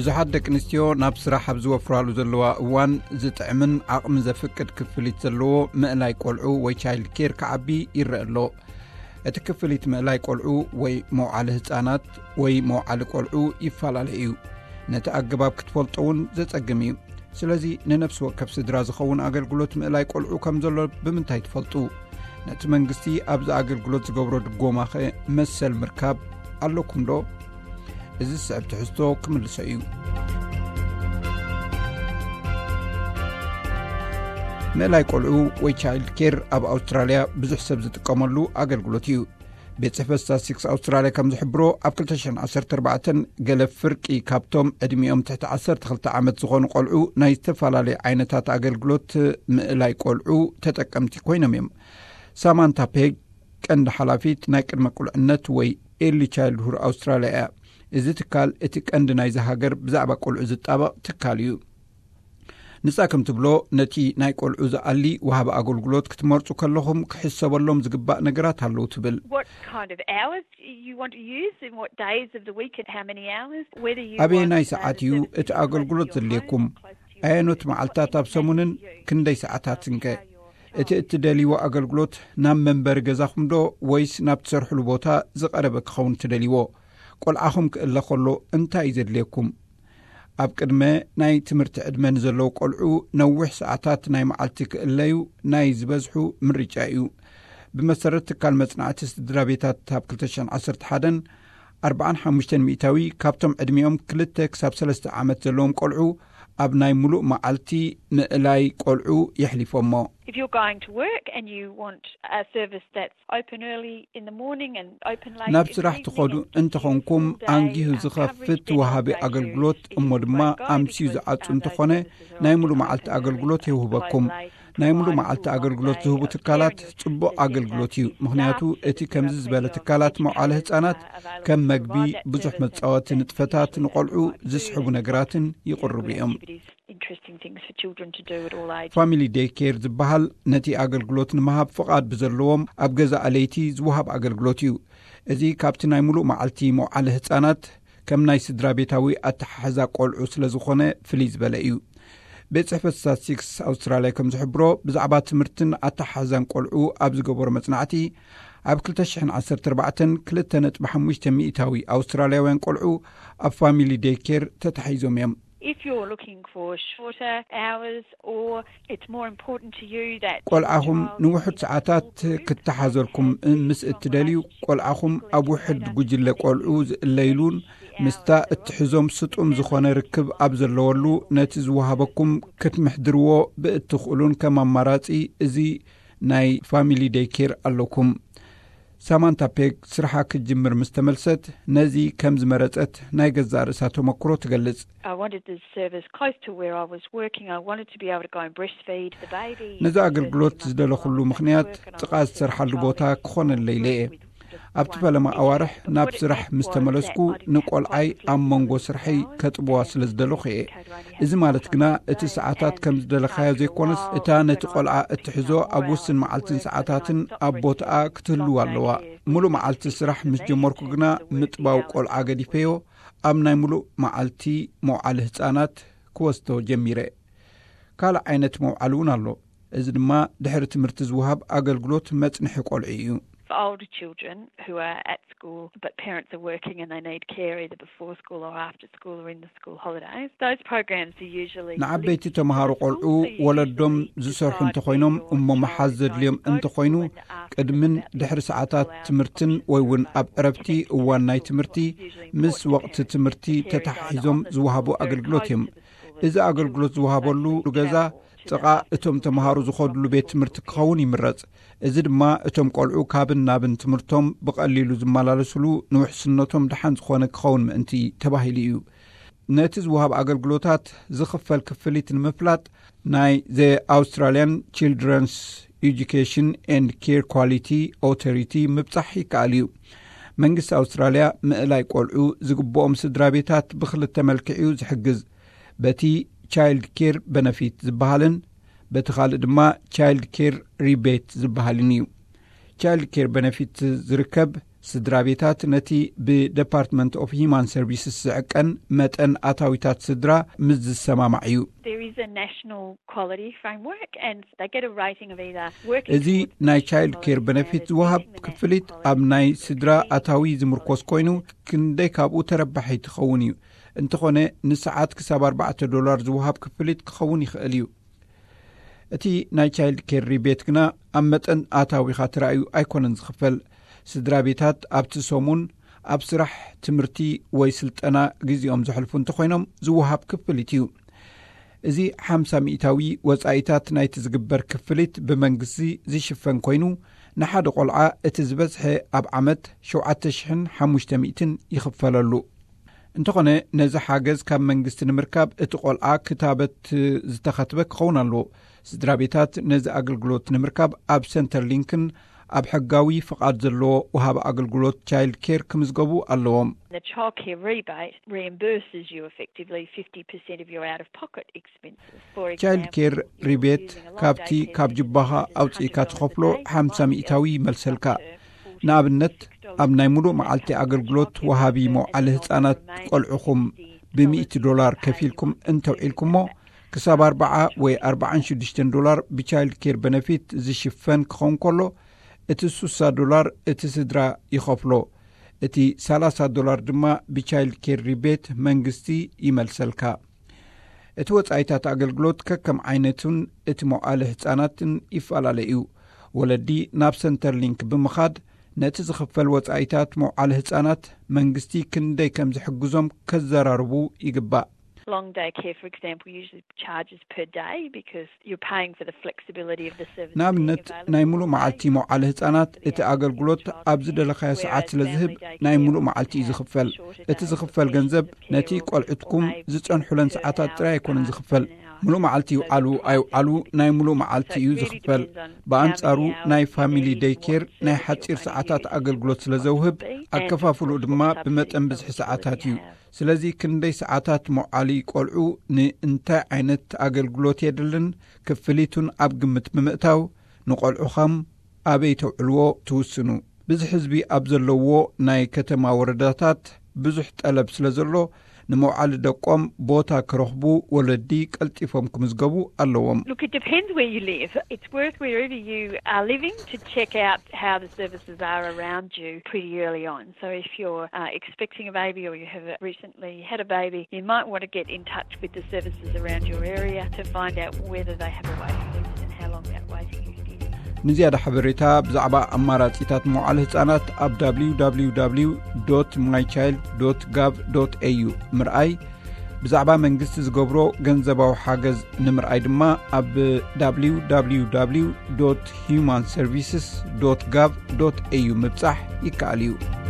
ብዙሓት ደቂ ኣንስትዮ ናብ ስራሕ ኣብ ዝወፍራሉ ዘለዋ እዋን፣ ዝጥዕምን ዓቕሚ ዘፍቅድ ክፍሊት ዘለዎ ምእላይ ቆልዑ ወይ ቻይልድ ኬር ክዓቢ ይረአ ኣሎ። እቲ ክፍሊት ምእላይ ቆልዑ ወይ መውዓሊ ህጻናት ወይ መውዓሊ ቆልዑ ይፈላለ እዩ። ነቲ ኣገባብ ክትፈልጦ እውን ዘጸግም እዩ። ስለዚ ንነፍሲ ወከፍ ስድራ ዝኸውን ኣገልግሎት ምእላይ ቆልዑ ከም ዘሎ ብምንታይ ትፈልጡ? ነቲ መንግስቲ ኣብዚ ኣገልግሎት ዝገብሮ ድጎማኸ መሰል ምርካብ ኣለኩም ዶ? እዚ ዝስዕብ ትሕዝቶ ክምልሶ እዩ። ምእላይ ቆልዑ ወይ ቻይልድ ኬር ኣብ ኣውስትራልያ ብዙሕ ሰብ ዝጥቀመሉ ኣገልግሎት እዩ። ቤት ጽሕፈት ስታትስቲክስ ኣውስትራልያ ከም ዝሕብሮ፣ ኣብ ክልተ ሽሕን ዓሰርተ ኣርባዕተን ገለ ፍርቂ ካብቶም ዕድሚኦም ትሕቲ ዓሰርተ ክልተ ዓመት ዝኾኑ ቆልዑ ናይ ዝተፈላለዩ ዓይነታት ኣገልግሎት ምእላይ ቆልዑ ተጠቀምቲ ኮይኖም እዮም። ሳማንታ ፔግ፣ ቀንዲ ሓላፊት ናይ ቅድመ ቁልዕነት ወይ ኤርሊ ቻይልድሁድ ኣውስትራልያ እያ። እዚ ትካል እቲ ቀንዲ ናይዚ ሃገር ብዛዕባ ቆልዑ ዝጣበቕ ትካል እዩ። ንሳ ከም ትብሎ፣ ነቲ ናይ ቆልዑ ዝኣሊ ወሃቢ ኣገልግሎት ክትመርጹ ከለኹም ክሕሰበሎም ዝግባእ ነገራት ኣለዉ ትብል። What kind of hours you want to use, in what days of the week and how many hours, whether you ኣበየናይ want, uh, ሰዓት the እዩ service እቲ ኣገልግሎት close to your ዘድልየኩም? home, close to your ኣየኖት work, መዓልታት what ኣብ ሰሙንን impacts you. ክንደይ ሰዓታትን ከ? እቲ እትደልይዎ ኣገልግሎት ናብ መንበሪ ገዛኹም ዶ ወይስ ናብ ትሰርሕሉ ቦታ ዝቐረበ ክኸውን ትደልይዎ? ቆልዓኹም ክእለ ከሎ እንታይ እዩ ዘድልየኩም? ኣብ ቅድመ ናይ ትምህርቲ ዕድመ ንዘለዉ ቆልዑ ነዊሕ ሰዓታት ናይ መዓልቲ ክእለዩ ናይ ዝበዝሑ ምርጫ እዩ። ብመሰረት ትካል መጽናዕቲ ስድራ ቤታት፣ ኣብ ክልተ ሽሕን ዓሰርተ ሓደን ኣርባዓን ሓሙሽተን ሚእታዊ ካብቶም ዕድሚኦም ክልተ ክሳብ ሰለስተ ዓመት ዘለዎም ቆልዑ ኣብ ናይ ሙሉእ መዓልቲ ምእላይ ቆልዑ የሕሊፎሞ። If you're going to work and you want a service that's open early in the morning and open late ናብ in the ስራሕ evening ትኸዱ and gives you እንተኾንኩም፣ full day, ኣንጊሁ uh, coverage, ዝኸፍት then you're ወሃቢ going to ኣገልግሎት be እሞ ድማ remote ኣምስዩ because, ዝዓጹ uh, those እንተኾነ፣ services are ናይ often ሙሉእ መዓልቲ open early ኣገልግሎት and close የውህበኩም። late and ናይ ሙሉእ provide a መዓልቲ full ኣገልግሎት one-day ዝህቡ of ትካላት care ጽቡቕ and staff ኣገልግሎት እዩ። services. ምኽንያቱ Staff እቲ ከምዚ services ዝበለ provide ትካላት educators, መውዓሊ ህጻናት uh, available ከም to መግቢ፣ provide that ብዙሕ service መጻወቲ and ንጥፈታት that ንቆልዑ provide ዝስሕቡ food and ነገራትን do ይቕርቡ good እዮም። activities, interesting things for children to do at all ages. ፋሚሊ ዴይ ኬር ዝበሃል ነቲ ኣገልግሎት ንምሃብ ፍቓድ ብዘለዎም ኣብ ገዛ ኣለይቲ ዝወሃብ ኣገልግሎት እዩ። እዚ ካብቲ ናይ ሙሉእ መዓልቲ መውዓሊ ህጻናት ከም ናይ ስድራ ቤታዊ ኣተሓሕዛ ቆልዑ ስለ ዝኾነ ፍልይ ዝበለ እዩ። ቤት ጽሕፈት ስታትስቲክስ ኣውስትራልያ ከም ዝሕብሮ፣ ብዛዕባ ትምህርትን ኣተሓሕዛን ቆልዑ ኣብ ዝገበሮ መጽናዕቲ፣ ኣብ ክልተ ሽሕን ዓሰርተ ኣርባዕተን ክልተ ነጥቢ ሓሙሽተ ሚእታዊ ኣውስትራልያውያን ቆልዑ ኣብ ፋሚሊ ዴይ ኬር ተታሒዞም እዮም። If you're looking for shorter hours or it's more important to you that your ቆልዓኹም child ንውሑድ is ሰዓታት supported, ክተሓዘልኩም that ምስ your እትደልዩ፣ relationship ቆልዓኹም with ኣብ your ውሕድ learner ጉጅለ is ቆልዑ important, ዝእለይሉን then the ምስታ hours are እትሕዞም ስጡም ዝኾነ ርክብ ኣብ ዘለወሉ፣ ነቲ ዝወሃበኩም ክትምሕድርዎ ብእትኽእሉን ከም ኣማራጺ እዚ ናይ ፋሚሊ ዴይ ኬር ኣለኩም። ሳማንታ ፔግ ስርሓ ክትጅምር ምስ ተመልሰት፣ ነዚ ከም ዝመረጸት ናይ ገዛእ ርእሳ ተመክሮ ትገልጽ። I wanted this service close to where I was working. I wanted to be able to go and breastfeed the baby. ነዚ ኣገልግሎት ዝደለኹሉ ምኽንያት፣ ጥቓ ዝሰርሓሉ ቦታ ክኾነለይ ኢለ እየ። ኣብቲ ፈለማ ኣዋርሕ ናብ ስራሕ ምስ ተመለስኩ፣ ንቆልዓይ ኣብ መንጎ ስርሐይ ከጥብዋ ስለ ዝደለኹ እየ። እዚ ማለት ግና፣ እቲ ሰዓታት ከም ዝደለኻዮ ዘይኮነስ፣ እታ ነቲ ቆልዓ እትሕዞ ኣብ ውስን መዓልትን ሰዓታትን ኣብ ቦታኣ ክትህልው ኣለዋ። ሙሉእ መዓልቲ ስራሕ ምስ ጀመርኩ ግና፣ ምጥባው ቆልዓ ገዲፈዮ፣ ኣብ ናይ ሙሉእ መዓልቲ መውዓሊ ህጻናት ክወስዶ ጀሚረ። ካልእ ዓይነት መውዓሊ እውን ኣሎ። እዚ ድማ ድሕሪ ትምህርቲ ዝወሃብ ኣገልግሎት መጽንሒ ቆልዑ እዩ። For older children who are at school but parents are working and they need care either before school or after school or in the school holidays, those programs are usually ንዓበይቲ ተምሃሮ ቆልዑ ወለዶም ዝሰርሑ እንተኾይኖም እሞ መሓዝ ዘድልዮም እንተኾይኑ፣ ቅድምን ድሕሪ ሰዓታት ትምህርትን ወይ እውን ኣብ ዕረፍቲ እዋን ናይ ትምህርቲ ምስ ወቕቲ ትምህርቲ ተተሓሒዞም ዝወሃቡ ኣገልግሎት እዮም። እዚ ኣገልግሎት ዝወሃበሉ ገዛ ጥቓ እቶም ተምሃሮ ዝኾድሉ ቤት ትምህርቲ ክኸውን ይምረጽ። እዚ ድማ እቶም ቆልዑ ካብን ናብን ትምህርቶም ብቐሊሉ ዝመላለስሉ፣ ንውሕስነቶም ደሓን ዝኾነ ክኸውን ምእንቲ ተባሂሉ እዩ። ነቲ ዝወሃብ ኣገልግሎታት ዝኽፈል ክፍሊት ንምፍላጥ፣ ናይ The Australian Children's Education and Care Quality Authority ምብጻሕ ይከኣል እዩ። መንግስቲ ኣውስትራልያ ምእላይ ቆልዑ ዝግብኦም ስድራ ቤታት ብኽልተ መልክዕ እዩ ዝሕግዝ። በቲ ቻይልድ ኬር በነፊት ዝበሃልን በቲ ካልእ ድማ ቻይልድ ኬር ሪቤት ዝበሃልን እዩ። ቻይልድ ኬር በነፊት ዝርከብ ስድራ ቤታት ነቲ ብደፓርትመንት ኦፍ ሂማን ሰርቪስስ ዝዕቀን መጠን ኣታዊታት ስድራ ምስ ዝሰማማዕ እዩ። There is a national quality framework and they get a rating of either working እዚ ናይ ቻይልድ ኬር በነፊት ዝወሃብ ክፍሊት ኣብ ናይ ስድራ ኣታዊ ዝምርኮስ ኮይኑ ክንደይ ካብኡ ተረባሒ ትኸውን እዩ። እንተኾነ ንሰዓት ክሳብ ኣርባዕተ ዶላር ዝወሃብ ክፍሊት ክኸውን ይኽእል እዩ። እቲ ናይ ቻይልድ ኬር ሪቤት ግና ኣብ መጠን ኣታዊኻ ተራእዩ ኣይኮነን ዝኽፈል። ስድራ ቤታት ኣብቲ ሰሙን ኣብ ስራሕ፣ ትምህርቲ ወይ ስልጠና ግዜኦም ዘሕልፉ እንተኾይኖም ዝወሃብ ክፍሊት እዩ። እዚ ሓምሳ ሚእታዊ ወጻኢታት ናይቲ ዝግበር ክፍሊት ብመንግስቲ ዝሽፈን ኮይኑ፣ ንሓደ ቆልዓ እቲ ዝበዝሐ ኣብ ዓመት ሸውዓተ ሽሕን ሓሙሽተ ሚእትን ይኽፈለሉ። እንተኾነ ነዚ ሓገዝ ካብ መንግስቲ ንምርካብ እቲ ቆልዓ ክታበት ዝተኸትበ ክኸውን ኣለዎ። ስድራ ቤታት ነዚ ኣገልግሎት ንምርካብ ኣብ ሰንተር ሊንክን ኣብ ሕጋዊ ፍቓድ ዘለዎ ወሃቢ ኣገልግሎት ቻይልድ ኬር ክምዝገቡ ኣለዎም። The childcare rebate reimburses you effectively fifty percent of your out of pocket expenses. For ቻይልድ example, ኬር if you're ሪቤት using a long ካብቲ daycare ካብ visit, ጅባኻ it's ኣውፅኢካ one hundred dollars ትኸፍሎ a day, ሓምሳ monthly ሚእታዊ is ይመልሰልካ። up to forty ንኣብነት dollars. ኣብ ናይ ሙሉእ መዓልቲ ኣገልግሎት ወሃቢ መውዓሊ ህፃናት ቆልዕኹም ብሚእቲ ዶላር ከፊልኩም እንተውዒልኩሞ ክሳብ ኣርባዓ ወይ ኣርባዓን ሽዱሽተን ዶላር ብቻይልድ ኬር በነፊት ዝሽፈን ክኸውን ከሎ፣ እቲ ሱሳ ዶላር እቲ ስድራ ይኸፍሎ። እቲ ሰላሳ ዶላር ድማ ብቻይልድ ኬር ሪቤት መንግስቲ ይመልሰልካ። እቲ ወጻኢታት ኣገልግሎት ከከም ዓይነቱን እቲ መውዓሊ ህጻናትን ይፈላለ እዩ። ወለዲ ናብ ሰንተር ሊንክ ብምኻድ ነቲ ዝኽፈል ወጻኢታት መውዓሊ ህጻናት መንግስቲ ክንደይ ከም ዝሕግዞም ከዘራርቡ ይግባእ። Long daycare, for example, usually charges per day because you're paying for the flexibility of the service. ንኣብነት ናይ ሙሉእ መዓልቲ መውዓሊ ህጻናት እቲ ኣገልግሎት ኣብ ዝደለኻዮ ሰዓት ስለ ዝህብ ናይ ሙሉእ መዓልቲ እዩ ዝኽፈል። እቲ ዝኽፈል ገንዘብ ነቲ ቆልዑትኩም ዝጸንሑለን ሰዓታት ጥራይ ኣይኮነን ዝኽፈል። ሙሉእ መዓልቲ ይውዓሉ ኣይውዓሉ ናይ ሙሉእ መዓልቲ እዩ ዝኽፈል። ብኣንጻሩ ናይ ፋሚሊ ደይ ኬር ናይ ሓጺር ሰዓታት ኣገልግሎት ስለ ዘውህብ ኣከፋፍሉ ድማ ብመጠን ብዝሒ ሰዓታት እዩ። ስለዚ ክንደይ ሰዓታት መውዓሊ ቆልዑ ንእንታይ ዓይነት ኣገልግሎት የድልን ክፍሊቱን ኣብ ግምት ብምእታው ንቆልዑኻም ኣበይ ተውዕልዎ ትውስኑ። ብዝሒ ህዝቢ ኣብ ዘለዎ ናይ ከተማ ወረዳታት ብዙሕ ጠለብ ስለ ዘሎ ንመውዓሊ ደቆም ቦታ ክረኽቡ ወለዲ ቀልጢፎም ክምዝገቡ ኣለዎም። Look, it depends where you live. It's worth wherever you are living to check out how the services are around you pretty early on. So if you're uh, expecting a baby or you have recently had a baby, you might want to get in touch with the services around your area to find out whether they have a waiting list and how long that waiting list is. ንዝያዳ ሓበሬታ ብዛዕባ ኣማራጺታት መውዓሊ ህጻናት ኣብ www mychild gov au ምርኣይ፣ ብዛዕባ መንግስቲ ዝገብሮ ገንዘባዊ ሓገዝ ንምርኣይ ድማ ኣብ www human services gov au ምብጻሕ ይከኣል እዩ።